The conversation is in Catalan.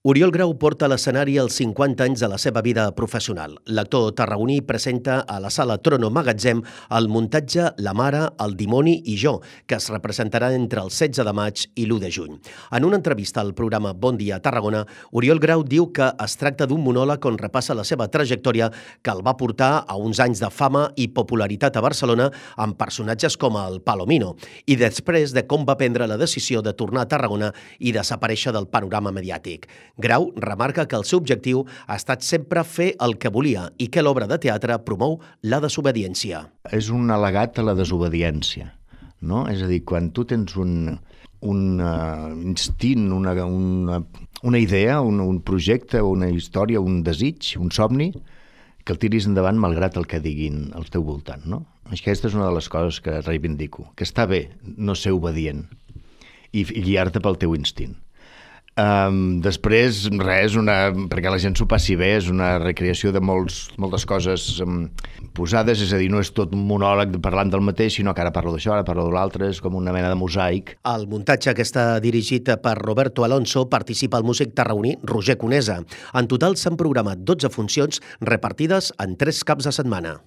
Oriol Grau porta a l'escenari els 50 anys de la seva vida professional. L'actor tarragoní presenta a la sala Trono Magatzem el muntatge La mare, el dimoni i jo, que es representarà entre el 16 de maig i l'1 de juny. En una entrevista al programa Bon dia Tarragona, Oriol Grau diu que es tracta d'un monòleg on repassa la seva trajectòria que el va portar a uns anys de fama i popularitat a Barcelona amb personatges com el Palomino i després de com va prendre la decisió de tornar a Tarragona i desaparèixer del panorama mediàtic. Grau remarca que el seu objectiu ha estat sempre fer el que volia i que l'obra de teatre promou la desobediència. És un al·legat a la desobediència, no? És a dir, quan tu tens un instint, una idea, un projecte, una història, un desig, un somni, que el tiris endavant malgrat el que diguin al teu voltant, no? Aquesta és una de les coses que reivindico, que està bé no ser obedient i guiar-te pel teu instint. Després, res, perquè la gent s'ho passi bé, és una recreació de moltes coses posades, és a dir, no és tot un monòleg parlant del mateix, sinó que ara parlo d'això, ara parlo de l'altre, és com una mena de mosaic. Al muntatge, que està dirigit per Roberto Alonso, participa el músic tarragoní Roger Conesa. En total s'han programat 12 funcions repartides en 3 caps de setmana.